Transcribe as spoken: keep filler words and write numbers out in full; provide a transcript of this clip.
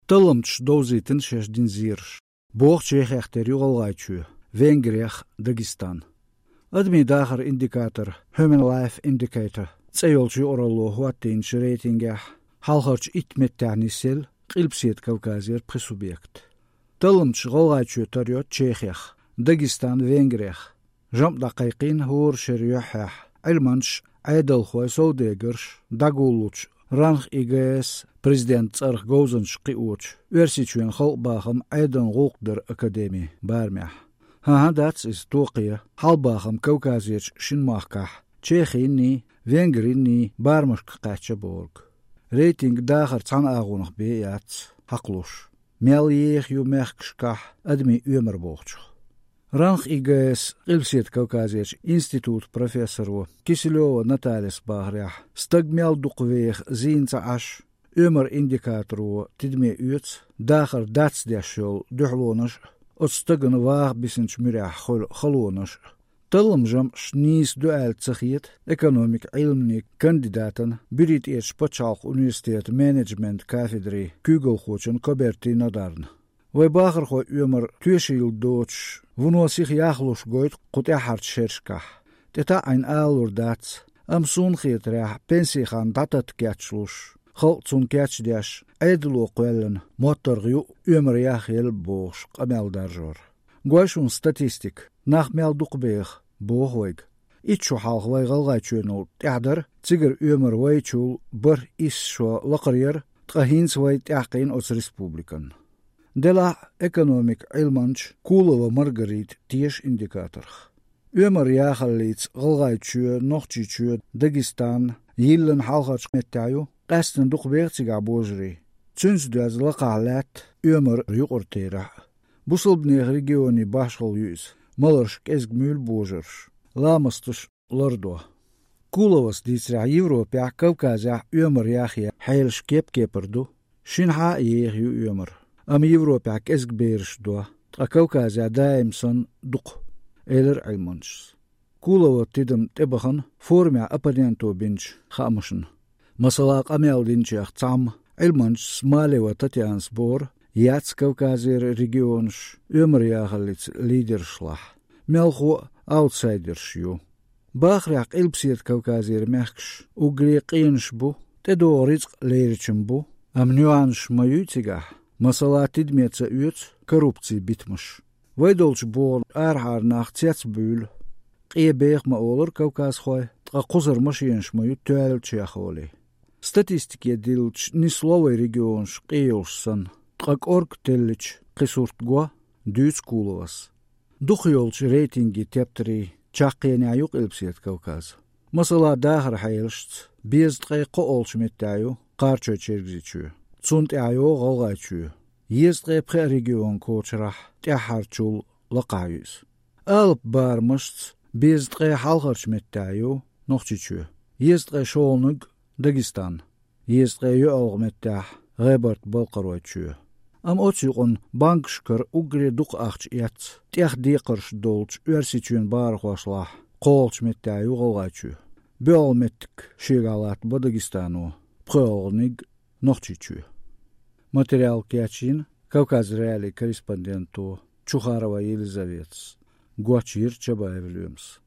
Талламчаша довзийтина шаьш дина зераш. Боху Чехех тера ю ГӀалгӀайчоь, Венгрех Дагестан. Адамийн дахаран индикатор Human Life Indicator цӀе йолчу юкъаралло хӀоттийначу рейтингехь хьалхарчу итт меттехь нисъелла Къилбаседа Кавказера пхи субъект. Талламчаша ГӀалгӀайчоь тара йо Чехех, Дагестан Венгрех. ЖамӀ дӀакхайкхийна хӀора шеран юьххьехь Ӏилманчаш, Ӏедалхой, совдегарш дӀагуллучу РАНХИГС президентан цӀарах говзанчаш кхиочу Оьрсийчоьнан халкъан бахам, Ӏедалан гӀуллакх даран академин барамехь. ХӀан-хӀа, дац иза токхе, хьалха бахам Кавказерчу шина махкахь, Чехинний, Венгринний барамашка кхаьчна бохург. Рейтинг дахаран цхьана агӀонах бен яц хьакхалуш, мел еха ю мехкашкахь адамийн оьмар бохучух. РАНХИГС Къилбаседа Кавказерчу институтан профессоро Киселева Натальяс бахарехь, стаг мел дукха веха зийна ца Ӏаш, оьмаран индикаторо тидаме оьцу дахар дацдеш йолу дуьхьалонаш а, оцу стагана ваха бисинчу муьрехь хуьлу халонаш а. Талламан жамӀаш нийса ду аьлла ца хета экономикан Ӏилманийн кандидатан, Буьртанечу пачхьалкхан университетан менеджментан кафедрин куьйгалхочун Коберти Нодарна. Вайн бахархойн оьмар тоьшалла доцуш, вуно сиха яхлуш гойту кху тӀаьххьарчу шерашкахь. ТӀетаӀийна алалур дац, амма суна хетарехь, пенсин хан дӀататта кечлуш, халкъ цунна кечдеш, Ӏедало кхоьллина, моттаргӀа ю оьмар яхъелла бохуш къамел даржор. Гой шуна статистика, нах мел дукха беха, боху вайга. Итт шо хьалха вайн ГӀалгӀайчоьнал тӀаьхьа дара цигара оьмар вайчул бархӀ-исс шо лакхара яра, ткъа хӀинца вай тӀаьхкхийна оцу республикана. Делахь а экономикан Ӏилманча Кулова Маргарита теша индикаторх. Оьмар яхаллица ГӀалгӀайчоь, Нохчийчоь, Дагестан йиллина хьалхарчу меттехь ю, къаьсттина дукха беха цигахь божарий. Цуьнца доьзна лакхахь лаьтта оьмар юкъара терахь а. Бусалбанехан регионийн башхалла ю иза, маларш кӀезиг муьйлу божарш, ламасташ лардо. Куловас дийцарехь, Европехь, Кавказехь оьмар яхъян хьелаш кеп-кепара ду. Шинахь а еха ю оьмар, амма Европехь кӀезиг бераш до, ткъа Кавказехь даим санна дукха, элира Ӏилманчас. Кулован тидам тӀебахана форумехь оппоненто бинчу хаамашна. Масала, къамел динчех цхьамма Ӏилманчас Малева Татьянас бохура, яц Кавказера регионаш оьмар яхаллица лидершлахь, мелхо а аутсайдерш ю. Бахарехь, Къилбаседа Кавказера мехкаш уггаре къенаш бу, тӀедогӀу рицкъ леричун бу, амма нюансаш ма юй цигахь, масала, тидаме ца оьцу коррупцин битамаш. Вай долчу бохург арахьара нах цецбуьйлу, къен беха ма олура кавказхой, ткъа кхузара машенаш ма ю тоьлла чехоли. Статистике диллича, нисло вайн регионаш къен йолуш санна, ткъа кӀорга теллича, кхин сурт го, дуьйцу Куловас. Дукхах йолчу рейтинган тептарийн чаккхенехь ю Къилбаседа Кавказ. Масала, дахаран хьелашца, безаткъе кхоалгӀачу меттехь ю Кхарачой-Чергазийчоь, цунна тӀаьхьа йогӀу ГӀалгӀайчоь. Езткъе пхеа регион кочарахь тӀаьххьарчул лакхахь ю иза. Алапан барамашца, безаткъе хьалхарчу меттехь ю Нохчийчоь, езткъе шолгӀаниг Дагестан, езткъе йоьалгӀа меттехь ГӀебарта-Балкхаройчоь. Амма оцу юкъанна банкашкара уггаре дукха ахча эцна, тӀех декхарш долчу Оьрсийчоьнан бахархошлахь кхоалгӀачу меттехь ю ГӀалгӀайчоь. БоьалгӀа меттиг шегахь латтабо Дагестано, пхоьалгӀаниг Нохчийчоь. Материал кечйина Кавказ.Реалиин корреспонденто Чухарова Елизаветас, гочйира Чабаев Лоьмас.